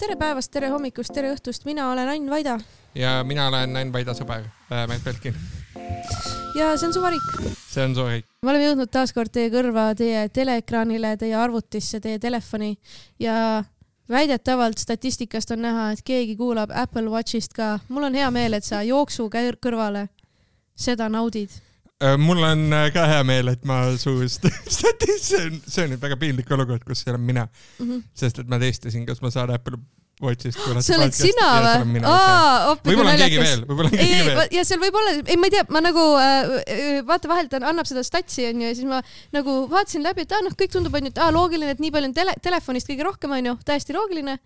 Tere päevast, tere hommikust, tere õhtust. Mina olen Ain Vaida. Ja mina olen Ain Vaida sõber, Märt Belkin. Ja see on Suvarik. See on Suvarik. Me oleme jõudnud taaskord teie kõrva, teie teleekraanile, teie arvutisse, teie telefoni ja väidetavalt statistikast on näha, et keegi kuulab Apple Watchist ka. Mul on hea meel, et sa jooksu kõrvale seda naudid. Mul on ka hea meel, et ma suust see on nüüd väga piinlik olukord, kus see olen mina. Sest et ma testisin, kas ma saan Apple Watchist see oled sina või? Võib-olla on keegi veel. Ja seal võib olla, ma ei tea, ma nagu vaata vahelt annab seda statsi on ju, ja siis ma nagu vaatasin läbi, et kõik tundub on ju, et loogiline, et nii palju on telefonist kõige rohkem on ju, täiesti loogiline.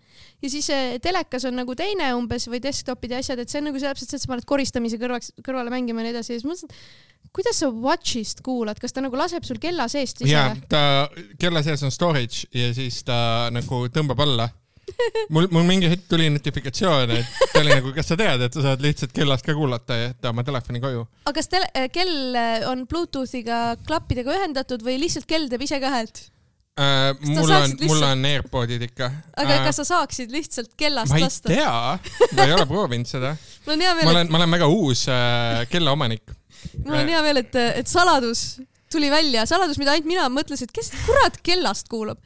Ja siis telekas on nagu teine umbes või desktopid ja asjad, et see on nagu täpselt see, et sa paned koristamise kõrvale mängima ja nii edasi. Ja siis mõtlesin, kuidas sa Watchist kuulad? Kas ta nagu laseb sul kella seest? Jaa, ta kella sees on storage ja siis ta nagu tõmbab alla. Mul mingi hetk tuli notifikatsioon, et ta oli nagu, kas sa tead, et sa saad lihtsalt kellast ka kuulata ja jätta oma telefoni koju. Aga kas kell on Bluetoothiga klappidega ühendatud või lihtsalt kell teeb ise ka häält? Mul on AirPodid ikka. Aga kas sa saaksid lihtsalt kellast lasta? Ma ei tea, ma ei ole proovinud seda. Ma olen väga uus kella omanik. Mul on hea veel, et saladus tuli välja. Saladus, mida ainult mina mõtlesin, et kes kurat kellast kuulab.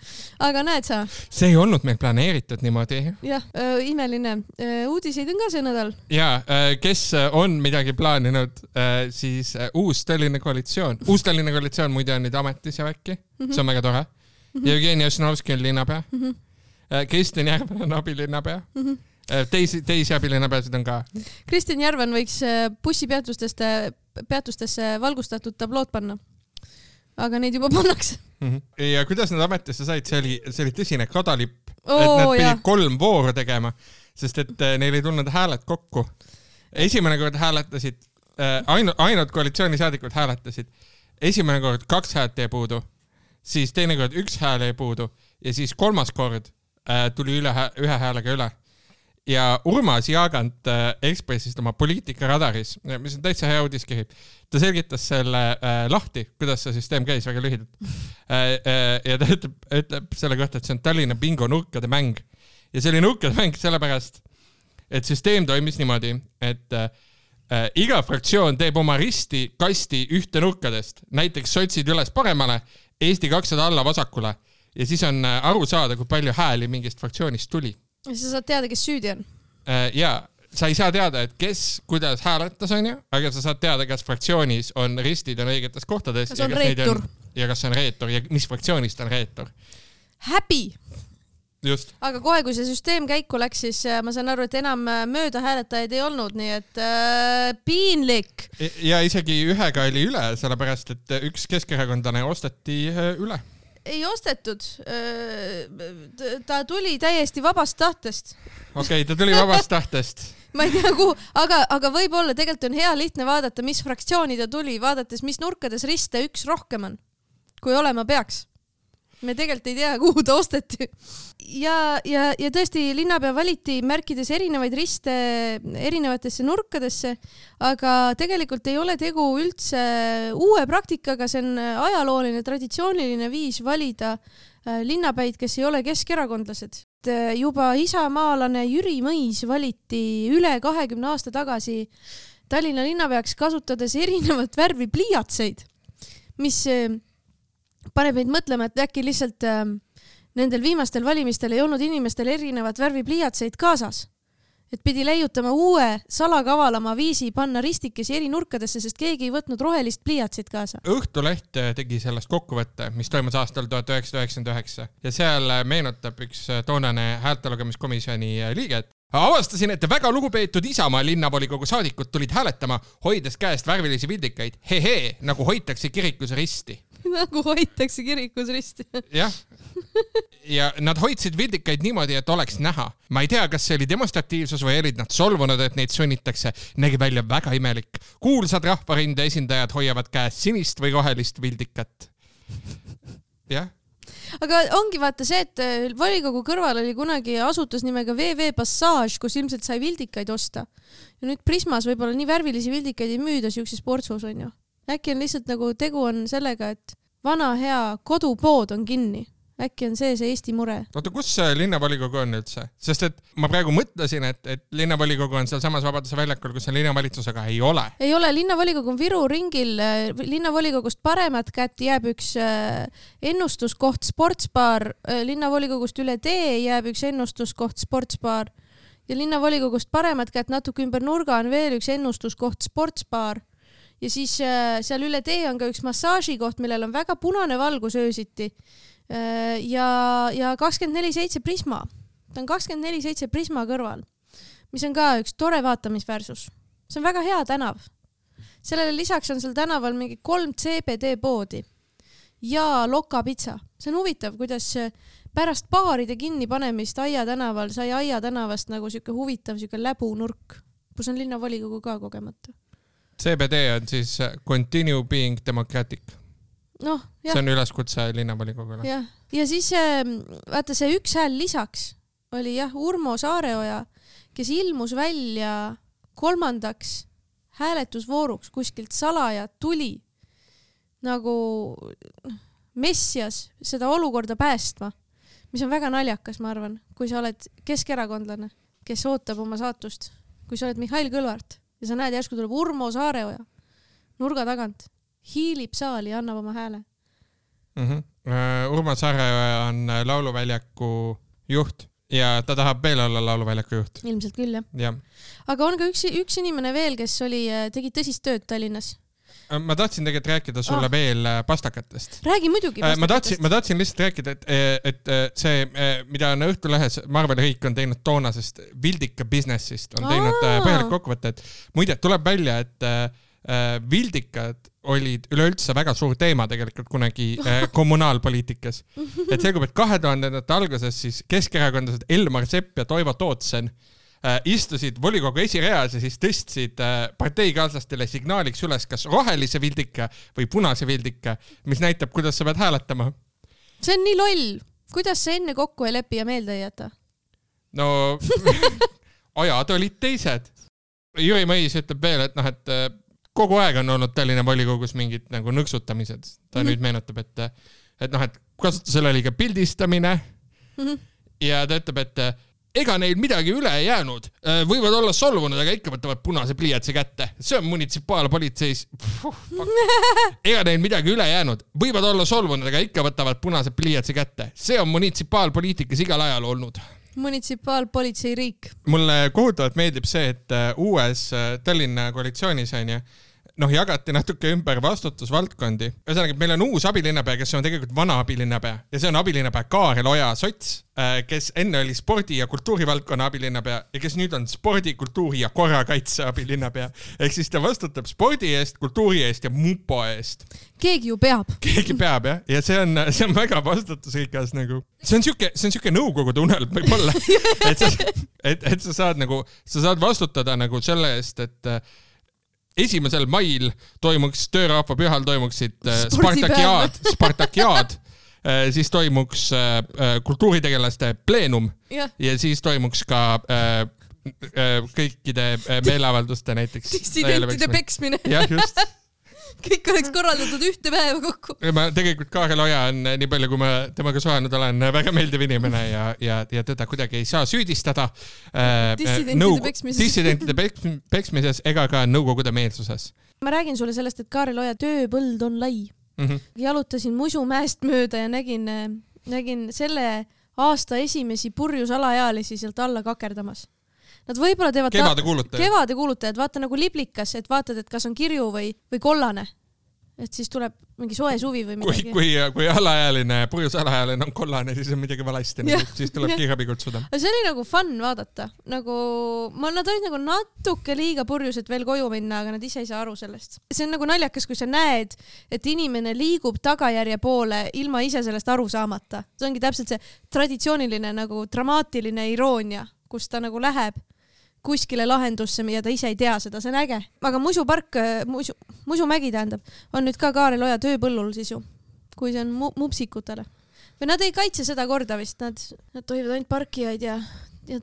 Aga näed sa? See ei olnud meil planeeritud niimoodi. Jah, imeline. Uudiseid on ka see nädal. Ja, kes on midagi plaaninud, siis uus Tallinna koalitsioon. Uus Tallinna koalitsioon muide on nüüd ametis ja väkki. See on väga tore. Jevgeni Ossinovski on linnapea. Kristjan Järvan on abilinnapea. Teisi abilinnapeasid on ka. Kristjan Järvan võiks bussipeatustesse valgustatud tablood panna. Aga neid juba pannakse. Ja kuidas nad ametisse said, see oli tõsine kadalipp, et nad pidid 3 vooru tegema, sest et neil ei tulnud hääled kokku. Esimene kord hääletasid, ainult koalitsioonisaadikud hääletasid. Esimene kord 2 häält jäi puudu, siis teine kord 1 hääl jäi puudu ja siis 3. kord tuli ühe häälega üle. Ja Urmas Jaagant Ekspressist oma poliitikaradaris, mis on täitsa hea uudiskiri, ta selgitas selle lahti, kuidas see süsteem käis väga lühidalt. Ja ta ütleb selle kohta, et see on Tallinna bingo nurkade mäng. Ja see oli nurkade mäng sellepärast, et süsteem toimis niimoodi, et iga fraktsioon teeb oma risti kasti ühte nurkadest, näiteks sotsid üles paremale, Eesti 200 alla vasakule ja siis on aru saada, kui palju hääli mingist fraktsioonist tuli. Ja sa saad teada, kes süüdi on? Jaa, sa ei saa teada, et kes, kuidas hääletas on ju, aga sa saad teada, kas fraktsioonis on ristid on õigetes kohtades. Kas on reetur? Ja kas on reetur ja mis fraktsioonist on reetur. Häbi! Just. Aga kohe, kui see süsteem käiku läks, siis ma saan aru, et enam mööda hääletajaid ei olnud, nii et piinlik. Ja isegi ühega oli üle, sellepärast, et üks keskerakondlane osteti üle. Ei ostetud. Ta tuli täiesti vabast tahtest. Okei, ta tuli vabast tahtest. Ma ei tea kuhu, aga võib-olla tegelikult on hea lihtne vaadata, mis fraktsiooni ta tuli, vaadates, mis nurkades riste üks rohkem on, kui olema peaks. Me tegelikult ei tea, kuhu ta osteti. Ja tõesti, linnapea valiti märkides erinevaid riste erinevatesse nurkadesse, aga tegelikult ei ole tegu üldse uue praktikaga, see on ajalooline, traditsiooniline viis valida linnapäid, kes ei ole keskerakondlased. Juba isamaalane Jüri Mõis valiti üle 20 aasta tagasi Tallinna linnapeaks kasutades erinevat värvi pliiatseid, mis paneb meid mõtlema, et äkki lihtsalt nendel viimastel valimistel ei olnud inimestel erinevat värvi pliiatseid kaasas. Et pidi leiutama uue salakavalama viisi panna ristikesi eri nurkadesse, sest keegi ei võtnud rohelist pliiatsit kaasa. Õhtuleht tegi sellest kokkuvõtte, mis toimus aastal 1999 ja seal meenutab üks toonane häältelugemiskomisjoni liiget. Avastasin, et väga lugupeetud Isamaa linnavolikogu saadikud tulid hääletama, hoides käest värvilisi vildikaid. Hehe, nagu hoitakse kirikus risti. Nagu hoitakse kirikus risti. Jah. Ja nad hoidsid vildikaid niimoodi, et oleks näha. Ma ei tea, kas see oli demonstratiivsus või olid nad solvunud, et neid sunnitakse. Nägi välja väga imelik. Kuulsad rahvarinde esindajad hoiavad käest sinist või rohelist vildikat. Jah. Aga ongi vaata see, et volikogu kõrval oli kunagi asutus nimega VV Passage, kus ilmselt sai vildikaid osta. Ja nüüd Prismas võib-olla nii värvilisi vildikaid ei müüda siukses portsus on ju. Äkki on lihtsalt nagu tegu on sellega, et vana hea kodupood on kinni. äkki on see Eesti mure. Oota, kus see linnavolikogu on üldse? Sest et ma praegu mõtlesin, et linnavolikogu on seal samas Vabaduse väljakul, kus on linnavalitsus, aga ei ole. Ei ole, linnavolikogu on Viru ringil. Linnavolikogust paremat kätt jääb üks ennustuskoht sportsbaar. Linnavolikogust üle tee jääb üks ennustuskoht sportsbaar. Ja linnavolikogust paremat kätt natuke ümber nurga on veel üks ennustuskoht sportsbaar. Ja siis seal üle tee on ka üks massaažikoht, millel on väga punane valgus öösiti. Ja 24/7 Prisma. Ta on 24/7 Prisma kõrval, mis on ka üks tore vaatamisväärsus. See on väga hea tänav. Sellele lisaks on seal tänaval mingi 3 CBD poodi ja Loka pitsa. See on huvitav, kuidas pärast baaride kinni panemist Aia tänaval sai Aia tänavast nagu siuke huvitav siuke läbunurk, kus on linnavolikogu ka kogemata. CBD on siis Continue Being Democratic. No, see on üleskutse linnavolikogule. Ja siis vaata see üks hääl lisaks oli Urmo Saareoja, kes ilmus välja 3. hääletusvooruks kuskilt salaja tuli nagu messias seda olukorda päästma, mis on väga naljakas, ma arvan, kui sa oled keskerakondlane, kes ootab oma saatust, kui sa oled Mihhail Kõlvart ja sa näed järsku tuleb Urmo Saareoja nurga tagant, hiilib saali ja annab oma hääle. Urmo Saareoja on lauluväljaku juht ja ta tahab veel olla lauluväljaku juht. Ilmselt küll, jah. Aga on ka üks inimene veel, kes tegi tõsist tööd Tallinnas. Ma tahtsin tegelikult rääkida sulle veel pastakatest. Räägi muidugi pastakatest. Ma tahtsin lihtsalt rääkida, et see, mida on Õhtulehes Marvel Riik on teinud toonasest Vildika businessist, on teinud põhjalik kokkuvõte, et muide tuleb välja, et Vildikad olid üleüldse väga suur teema tegelikult kunagi kommunaalpoliitikas. Et selgub, et 2000-ndate alguses siis keskerakondlased Elmar Sepp ja Toivo Tootsen istusid volikogu esireas ja siis tõstsid parteikaaslastele signaaliks üles kas rohelise Vildika või punase Vildika, mis näitab, kuidas sa pead hääletama. See on nii loll. Kuidas sa enne kokku ei lepi ja meelde ei jäta? No, ajad olid teised. Jüri Mõis ütleb veel, et kogu aeg on olnud Tallinna volikogus mingid nagu nõksutamised. Ta nüüd meenutab, et kasutusel oli ka pildistamine ja ta ütleb, et ega neil midagi üle ei jäänud. Võivad olla solvunud, aga ikka võtavad punase pliiatsi kätte. See on munitsipaalpolitseis. Ega neil midagi üle jäänud. Võivad olla solvunud, aga ikka võtavad punase pliiatsi kätte. See on munitsipaalpoliitikas igal ajal olnud. Munitsipaalpolitsei riik. Mulle kohutavalt meeldib see, et uues Tallinna koalitsioonis jagati natuke ümber vastutusvaldkondi. Ühesõnaga, meil on uus abilinnapea, kes on tegelikult vana abilinnapea ja see on abilinnapea Kaarel Oja Sots, kes enne oli spordi- ja kultuurivaldkonna abilinnapea ja kes nüüd on spordi, kultuuri ja korrakaitse abilinnapea. Ehk siis ta vastutab spordi eest, kultuuri eest ja mupo eest. Keegi ju peab. Keegi peab, jah. Ja see on väga vastutusrikas nagu. See on siuke nõukogude unelm võib-olla. Et sa saad vastutada nagu selle eest, et 1. mail toimuks töörahva pühal toimuksid Spartakiaad, siis toimuks kultuuritegelaste pleenum ja siis toimuks ka kõikide meeleavalduste näiteks. Dissidentide peksmine. Jah, just. Kõik oleks korraldatud ühte päeva kokku. Ma tegelikult Kaarel Oja on nii palju, kui ma temaga suhelnud olen, väga meeldiv inimene ja teda kuidagi ei saa süüdistada dissidentide peksmises ega ka nõukogude meelsuses. Ma räägin sulle sellest, et Kaarel Oja tööpõld on lai. Jalutasin Musumäest mööda ja nägin selle aasta esimesi purjus alaealisi sealt alla kakerdamas. Nad võib-olla teevad kevade kuulutajad, vaata nagu liblikas, et vaatad, et kas on kirju või kollane. Et siis tuleb mingi soe suvi või midagi. Kui alaealine, purjus alaealine on kollane, siis on midagi valesti, siis tuleb kiirabi kutsuda. See oli nagu fun vaadata. Nad olid nagu natuke liiga purjus, et veel koju minna, aga nad ise ei saa aru sellest. See on nagu naljakas, kui sa näed, et inimene liigub tagajärje poole ilma ise sellest aru saamata. See ongi täpselt see traditsiooniline nagu dramaatiline iroonia, kus ta nagu läheb kuskile lahendusse ja ta ise ei tea seda, see on äge. Aga Musumägi tähendab, on nüüd ka Kaarel Oja tööpõllul siis ju, kui see on mupsikutele. Või nad ei kaitse seda korda vist, nad tohivad ainult parkijaid ja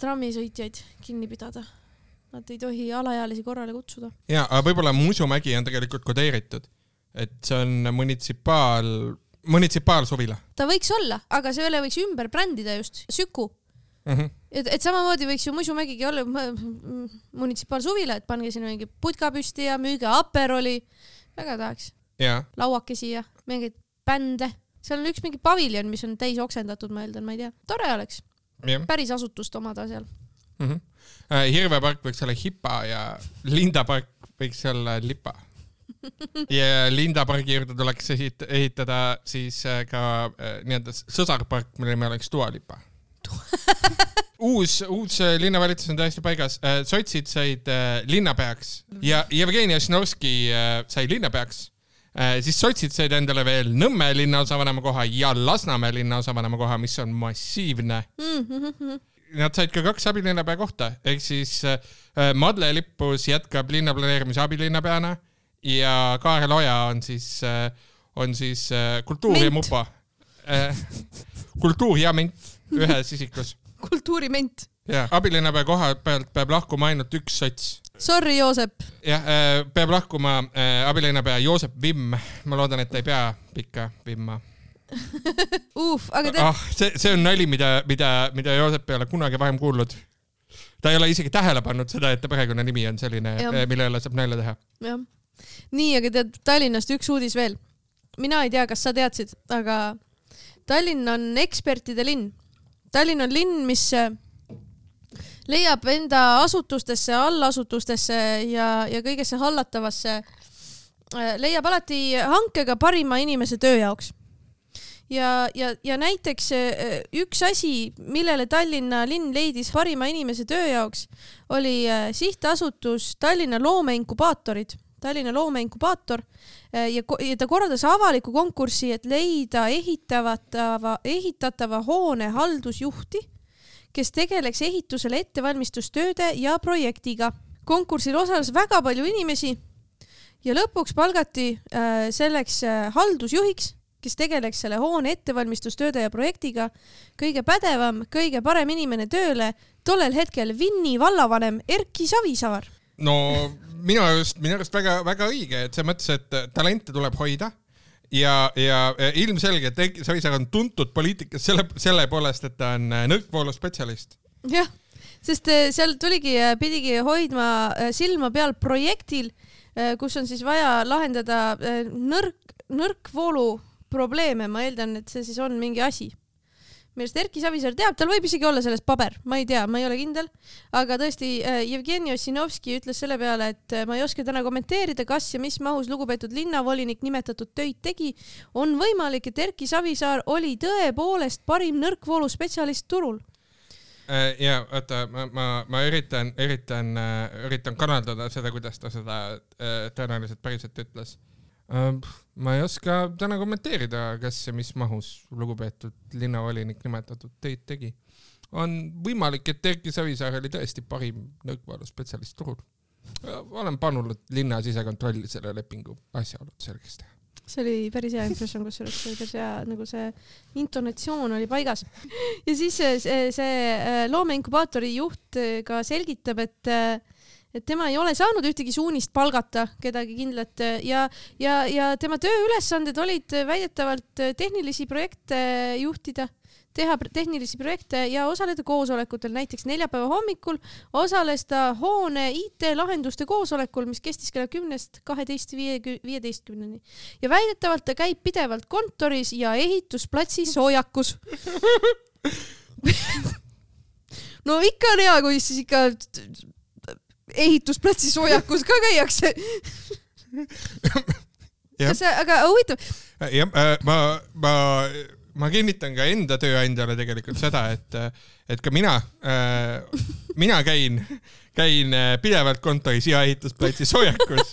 trammisõitjaid kinni pidada. Nad ei tohi alaealisi korrale kutsuda. Ja, aga võib-olla Musumägi on tegelikult kodeeritud, et see on munitsipaalsuvila. Ta võiks olla, aga selle võiks ümber brändida just, Süku. Et samamoodi võiks ju Musumägigi olla munitsipaalsuvila, et pange sinna mingi putka püsti ja müüge Aperoli. Väga tahaks. Lauakesi ja mingid bände. Seal on üks mingi paviljon, mis on täis oksendatud, ma eeldan, ma ei tea. Tore oleks. Päris asutust omada seal. Hirvepark võiks olla Hipa ja Lindapark võiks olla Lipa. Ja Lindapargi juurde tuleks ehitada siis ka nii-öelda sõsarpark, mille me oleks Dua Lipa. Uus linnavalitsus on täiesti paigas. Sotsid said linnapeaks ja Jevgeni Ossinovski sai linnapeaks. Siis sotsid said endale veel Nõmme linnaosavanema koha ja Lasnamäe linnaosavanema koha, mis on massiivne. Nad said ka 2 abilinnapea kohta, ehk siis Madle Lippus jätkab linnaplaneerimise abilinnapeana ja Kaarel Oja on siis kultuur ja mupa. Kultuur ja ment ühes isikus. Kultuuriment. Ja, abilinnapea koha pealt peab lahkuma ainult üks sots. Sorry, Joosep. Jah, peab lahkuma abilinnapea Joosep Vimm. Ma loodan, et ta ei pea pikka Vimma. Aga see on nali, mida Joosep ei ole kunagi varem kuulnud. Ta ei ole isegi tähele pannud seda, et ta perekonna nimi on selline, mille jälle saab nalja teha. Ja. Nii, aga tead Tallinnast üks uudis veel. Mina ei tea, kas sa teadsid, aga Tallinn on ekspertide linn. Tallinn on linn, mis leiab enda asutustesse, allasutustesse ja kõigesse hallatavasse, leiab alati hankega parima inimese töö jaoks. Ja näiteks üks asi, millele Tallinna linn leidis parima inimese töö jaoks, oli sihtasutus Tallinna loomeinkubaatorid. Tallinna loomeinkubaator ja ta korraldas avaliku konkursi, et leida ehitatava hoone haldusjuhti, kes tegeleks ehitusele ettevalmistustööde ja projektiga. Konkursil osales väga palju inimesi ja lõpuks palgati selleks haldusjuhiks, kes tegeleks selle hoone ettevalmistustööde ja projektiga, kõige pädevam, kõige parem inimene tööle, tollel hetkel Vinni vallavanem Erki Savisaar. No minu arust väga õige, et see mõttes, et talente tuleb hoida ja ilmselge, et Erki Savisaar on tuntud poliitikas selle poolest, et ta on nõrkvoolu spetsialist. Jah, sest seal pidigi hoidma silma peal projektil, kus on siis vaja lahendada nõrkvoolu probleeme, ma eeldan, et see siis on mingi asi. Millest Erki Savisaar teab, tal võib isegi olla selles paber, ma ei tea, ma ei ole kindel, aga tõesti Jevgeni Ossinovski ütles selle peale, et ma ei oska täna kommenteerida, kas ja mis mahus lugupeetud linnavolinik nimetatud töid tegi. On võimalik, et Erki Savisaar oli tõepoolest parim nõrkvoolu spetsialist turul. Ja oota, ma üritan kanaldada seda, kuidas ta seda tõenäoliselt päriselt ütles. Ma ei oska täna kommenteerida, kas ja mis mahus lugupeetud linnavolinik nimetatud töid tegi. On võimalik, et Erki Savisaar oli tõesti parim nõrkvoolu spetsialist turul. Olen pannud linna sisekontrolli selle lepingu asjaolud selgeks teha. See oli päris hea impression, kus see oli päris hea, nagu see intonatsioon oli paigas. Ja siis see loomeinkubaatori juht ka selgitab, et tema ei ole saanud ühtegi suunist palgata kedagi kindlat ja tema tööülesanded olid väidetavalt tehnilisi projekte juhtida, teha tehnilisi projekte ja osaleda koosolekutel. Näiteks neljapäeva hommikul osales ta hoone IT-lahenduste koosolekul, mis kestis kella 10:12:15. Ja väidetavalt ta käib pidevalt kontoris ja ehitusplatsi soojakus. No ikka on hea, kui siis ikka ehitusplatsi soojakus ka käiakse. Aga huvitav. Ma kinnitan ka enda tööandjale tegelikult seda, et ka mina käin pidevalt kontoris ja ehitusplatsi soojakus.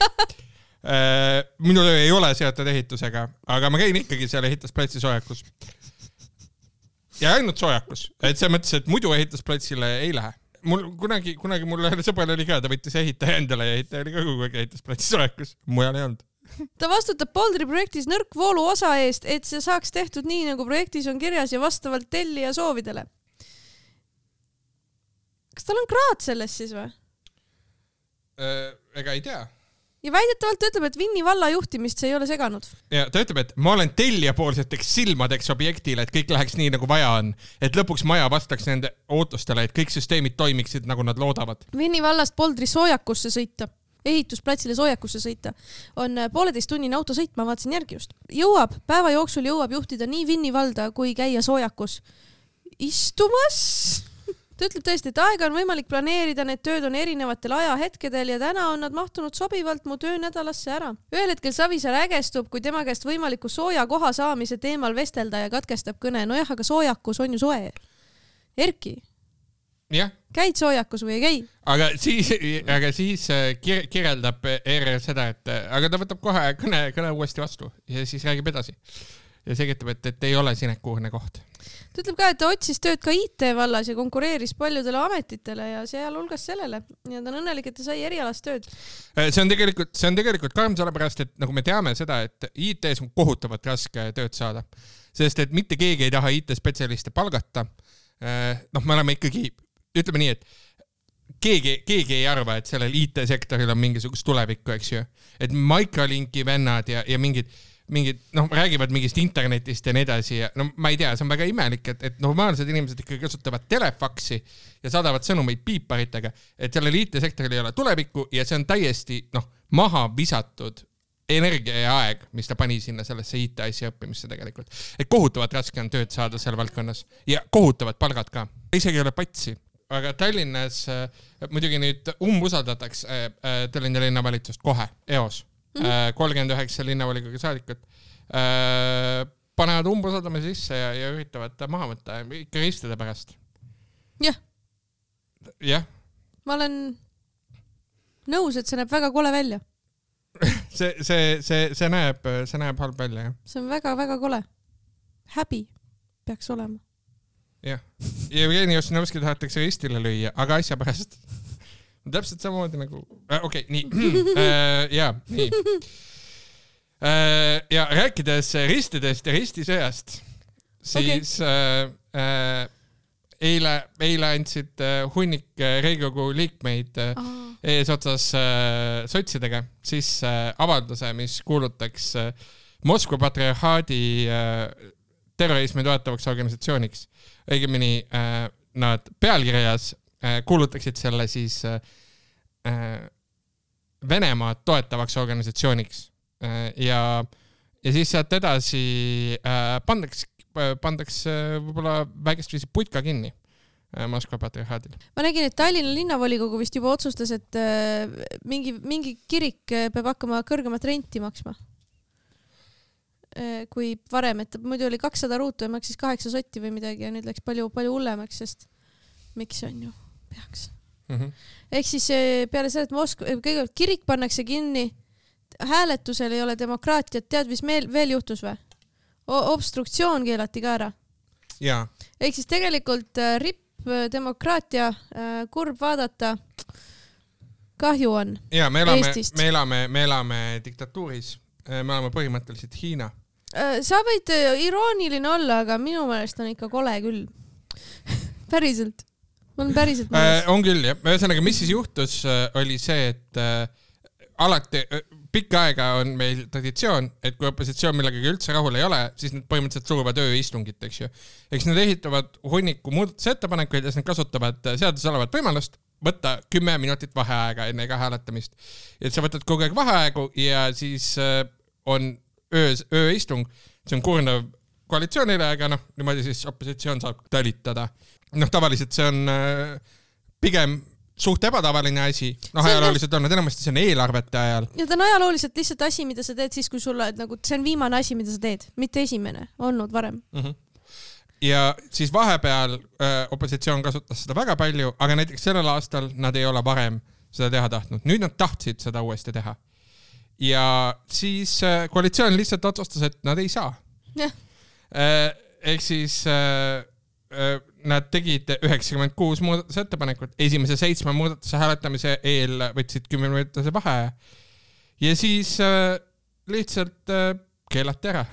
Minu töö ei ole seotud ehitusega, aga ma käin ikkagi seal ehitusplatsi soojakus. Ja ainult soojakus. Et see mõttes, et muidu ehitusplatsile ei lähe. Kunagi mul sõbral oli ka, ta võttis ehitaja endale ja ehitaja oli ka kogu aeg ehitusplatsi soojakus. Mujal ei olnud. Ta vastutab Poldri projektis nõrkvoolu osa eest, et see saaks tehtud nii, nagu projektis on kirjas ja vastavalt tellija soovidele. Kas tal on kraad selles siis või? Ega ei tea. ja väidetavalt ta ütleb, et Vinni valla juhtimist see ei ole seganud. Ja ta ütleb, et ma olen tellijapoolseteks silmadeks objektile, et kõik läheks nii, nagu vaja on. Et lõpuks maja vastaks nende ootustele, et kõik süsteemid toimiksid, nagu nad loodavad. Vinni vallast Poldri soojakusse sõita, ehitusplatsile soojakusse sõita, on 1,5 tunnine autosõit, ma vaatasin järgi just. Päeva jooksul jõuab juhtida nii Vinni valda kui käia soojakus istumas. Ta ütleb tõesti, et aega on võimalik planeerida, need tööd on erinevatel ajahetkedel ja täna on nad mahtunud sobivalt mu töönädalasse ära. Ühel hetkel Savisaar ägestub, kui tema käest võimaliku sooja koha saamise teemal vestelda ja katkestab kõne. Nojah, aga soojakus on ju soe. Erki, käid soojakus või ei käi? Aga siis kirjeldab ERR seda, et aga ta võtab kohe kõne uuesti vastu ja siis räägib edasi. Ja selgitab, et ei ole sinekuurne koht. Ta ütleb ka, et ta otsis tööd ka IT vallas ja konkureeris paljudele ametitele ja sealhulgas sellele. Ja ta on õnnelik, et ta sai erialast tööd. See on tegelikult karm sellepärast, et nagu me teame seda, et IT-s on kohutavat raske tööd saada. Sest et mitte keegi ei taha IT-spetsialiste palgata. Me oleme ikkagi, ütleme nii, et keegi ei arva, et sellel IT-sektoril on mingisugust tulevikku, eks ju. Et Microlinki vennad ja mingid räägivad mingist internetist ja nii edasi ja ma ei tea, see on väga imelik, et normaalsed inimesed ikkagi kasutavad telefaksi ja saadavad sõnumeid piiparitega, et sellel IT-sektoril ei ole tulevikku ja see on täiesti maha visatud energia ja aeg, mis ta pani sinna sellesse IT-asja õppimisse tegelikult. Et kohutavat raske on tööd saada seal valdkonnas ja kohutavad palgad ka. Isegi ei ole patsi, aga Tallinnas muidugi nüüd umbusaldatakse Tallinna linnavalitsust kohe, EOS. 39 linnavolikogu saadikut panevad umbusaldamise sisse ja üritavad maha võtta ikka ristide pärast. Jah. Ma olen nõus, et see näeb väga kole välja. see näeb halb välja, jah. See on väga-väga kole. Häbi peaks olema. Jah. Jevgeni Ossinovski tahetakse ristile lüüa, aga asja pärast täpselt samamoodi nagu... Okei, nii. Nii. Ja rääkides ristidest ja ristisõjast, siis eile andsid hunnik Riigikogu liikmeid eesotsas sotsidega siis avalduse, mis kuulutaks Moskva patriarhaadi terrorismi toetavaks organisatsiooniks. Õigemini nad pealkirjas kuulutaksid selle siis Venemaad toetavaks organisatsiooniks ja siis sealt edasi pandaks võib-olla väikest viisi putka kinni Moskva patriarhaadil. Ma nägin, et Tallinna linnavolikogu vist juba otsustas, et mingi kirik peab hakkama kõrgemat renti maksma. Kui varem, et muidu oli 200 ruutu ja maksis 8 sotti või midagi ja nüüd läks palju hullemaks, sest miks on ju peaks. Ehk siis peale selle, et kõigepealt kirik pannakse kinni, hääletusel ei ole demokraatiat, tead, mis veel juhtus või? Obstruktsioon keelati ka ära. Jaa. Ehk siis tegelikult ripp demokraatia, kurb vaadata, kahju on Eestist. Me elame diktatuuris, me oleme põhimõtteliselt Hiina. Sa võid irooniline olla, aga minu meelest on ikka kole küll. Päriselt. On päriselt mõnes. On küll, jah. Ühesõnaga, mis siis juhtus, oli see, et alati pikka aega on meil traditsioon, et kui opositsioon millegagi üldse rahul ei ole, siis nad põhimõtteliselt suruvad ööistungit, eks ju. Eks nad ehitavad hunniku muudatusettepanekuid ja nad kasutavad seaduses olevat võimalust võtta 10 minutit vaheaega enne iga hääletamist. Et sa võtad kogu aeg vaheaegu ja siis on ööistung. See on kurnav koalitsioonile, aga niimoodi siis opositsioon saab talitada. Tavaliselt see on pigem suht ebatavaline asi. Ajalooliselt on, enamasti see on eelarvete ajal. Ja ta on ajalooliselt lihtsalt asi, mida sa teed siis, kui sulle, nagu, see on viimane asi, mida sa teed, mitte esimene, olnud varem. Ja siis vahepeal opositsioon kasutas seda väga palju, aga näiteks sellel aastal nad ei ole varem seda teha tahtnud. Nüüd nad tahtsid seda uuesti teha. Ja siis koalitsioon lihtsalt otsustas, et nad ei saa. Ehk siis nad tegid 96 muudatusettepanekut. Esimese 7 muudatuse hääletamise eel võtsid 10 minutise vaheaja. Ja siis lihtsalt keelati ära.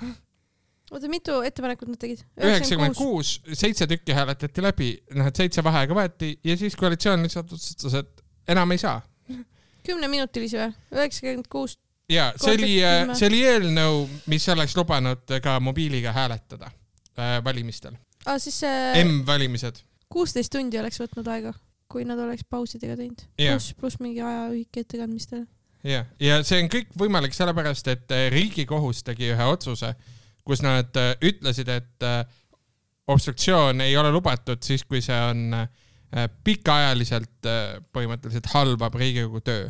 Oota, mitu ettepanekut nad tegid? 96, 7 tükki hääletati läbi, 7 vaheaega võeti ja siis koalitsioon lihtsalt otsustas, et enam ei saa. 10-minutilisi või? 96. Ja, see oli eelnõu, mis oleks lubanud ka mobiiliga hääletada valimistel. Siis see M-valimised. 16 tundi oleks võtnud aega, kui nad oleks pausidega teinud. Plus mingi ajaühik ettekandmistele. Ja see on kõik võimalik sellepärast, et Riigikohus tegi ühe otsuse, kus nad ütlesid, et obstruktsioon ei ole lubatud siis, kui see on pikaajaliselt põhimõtteliselt halvab Riigikogu töö.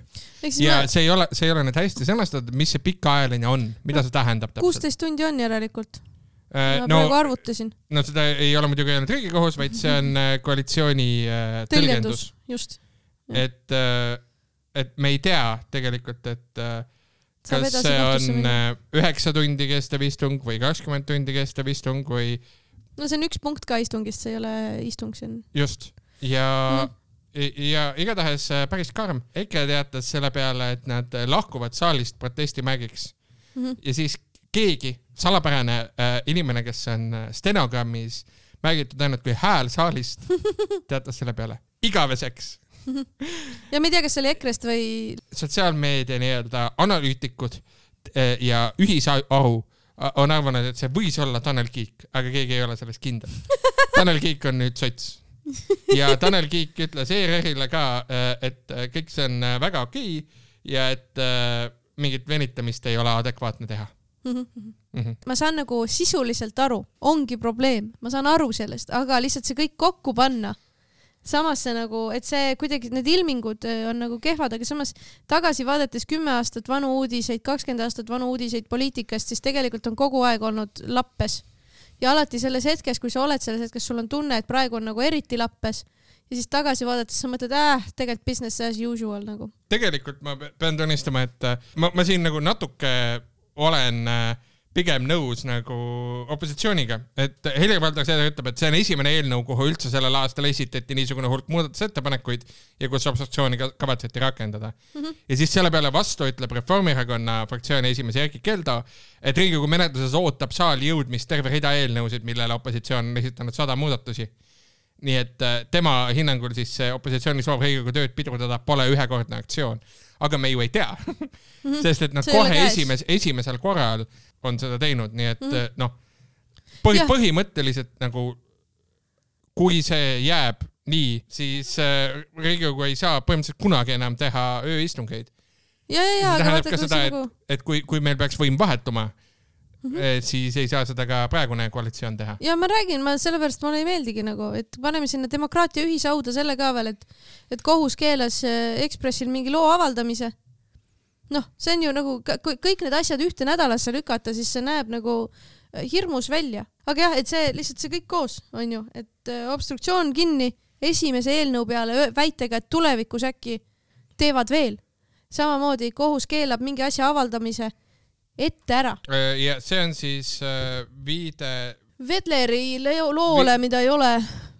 Ja see ei ole nüüd hästi sõnastatud, mis see pikaajaline on, mida see tähendab täpselt. 16 tundi on järelikult. Ma praegu arvutasin. No seda ei ole muidugi öelnud Riigikohus, vaid see on koalitsiooni tõlgendus. Just. Et me ei tea tegelikult, et kas see on 9 tundi kestev istung või 20 tundi kestev istung või... No see on üks punkt ka istungist, see ei ole istung, see on... Just. Ja igatahes päris karm. EKRE teatas selle peale, et nad lahkuvad saalist protestimärgiks. Ja siis keegi, salapärane inimene, kes on stenogrammis märgitud ainult kui hääl saalist, teatas selle peale igaveseks. Ja ma ei tea, kas see oli EKRE-st või... Sotsiaalmeedia nii-öelda analüütikud ja ühisaru on arvanud, et see võis olla Tanel Kiik, aga keegi ei ole sellest kindel. Tanel Kiik on nüüd sots. Ja Tanel Kiik ütles ERR-ile ka, et kõik see on väga okei ja et mingit venitamist ei ole adekvaatne teha. Ma saan nagu sisuliselt aru, ongi probleem, ma saan aru sellest, aga lihtsalt see kõik kokku panna. Samas see nagu, et see kuidagi need ilmingud on nagu kehvad, aga samas tagasi vaadates 10 aastat vanu uudiseid, 20 aastat vanu uudiseid poliitikast, siis tegelikult on kogu aeg olnud lappes. Ja alati selles hetkes, kui sa oled selles hetkes, sul on tunne, et praegu on nagu eriti lappes ja siis tagasi vaadates sa mõtled, tegelikult business as usual nagu. Tegelikult ma pean tunnistama, et ma siin nagu natuke olen pigem nõus nagu opositsiooniga, et Helir-Valdor Seeder ütleb, et see on esimene eelnõu, kuhu üldse sellel aastal esitati niisugune hulk muudatusettepanekuid ja kus obstruktsiooni kavatseti rakendada. Ja siis selle peale vastu ütleb Reformierakonna fraktsiooni esimees Erkki Keldo, et Riigikogu menetluses ootab saali jõudmist terve rida eelnõusid, millele opositsioon on esitanud 100 muudatusi. Nii et tema hinnangul siis opositsiooni soov Riigikogu tööd pidurdada pole ühekordne aktsioon. Aga me ju ei tea, sest et nad kohe esimesel korral on seda teinud, nii et põhimõtteliselt nagu kui see jääb nii, siis Riigikogu ei saa põhimõtteliselt kunagi enam teha ööistungeid. See tähendab ka seda, et kui meil peaks võim vahetuma, siis ei saa seda ka praegune koalitsioon teha. Ja ma räägin, sellepärast mulle ei meeldigi nagu, et paneme sinna demokraatia ühisauda selle ka veel, et kohus keelas Ekspressil mingi loo avaldamise. See on ju nagu, kõik need asjad ühte nädalasse lükata, siis see näeb nagu hirmus välja. Aga jah, et see lihtsalt see kõik koos on ju, et obstruktsioon kinni esimese eelnõu peale väitega, et tulevikus äkki teevad veel. Samamoodi kohus keelab mingi asja avaldamise ette ära. Ja see on siis viide... Vedleri loole, mida ei ole.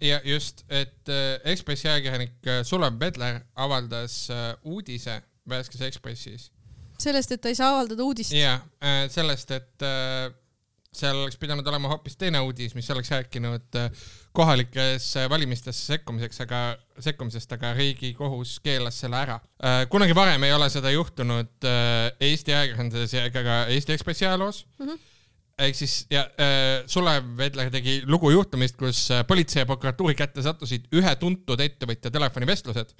Ja just, et Ekspressi ajakirjanik Sulev Vedler avaldas uudise Värskes Ekspressis. Sellest, et ta ei saa avaldada uudist. Ja, sellest, et seal oleks pidanud olema hoopis teine uudis, mis oleks rääkinud kohalikes valimistesse sekkumisest, aga Riigikohus keelas selle ära. Kunagi varem ei ole seda juhtunud Eesti ajakirjanduses ega ka Eesti Ekspressi ajaloos. Ehk siis Sulev Vedler tegi lugu juhtumist, kus politsei ja prokuratuuri kätte sattusid ühe tuntud ettevõtja telefonivestlused,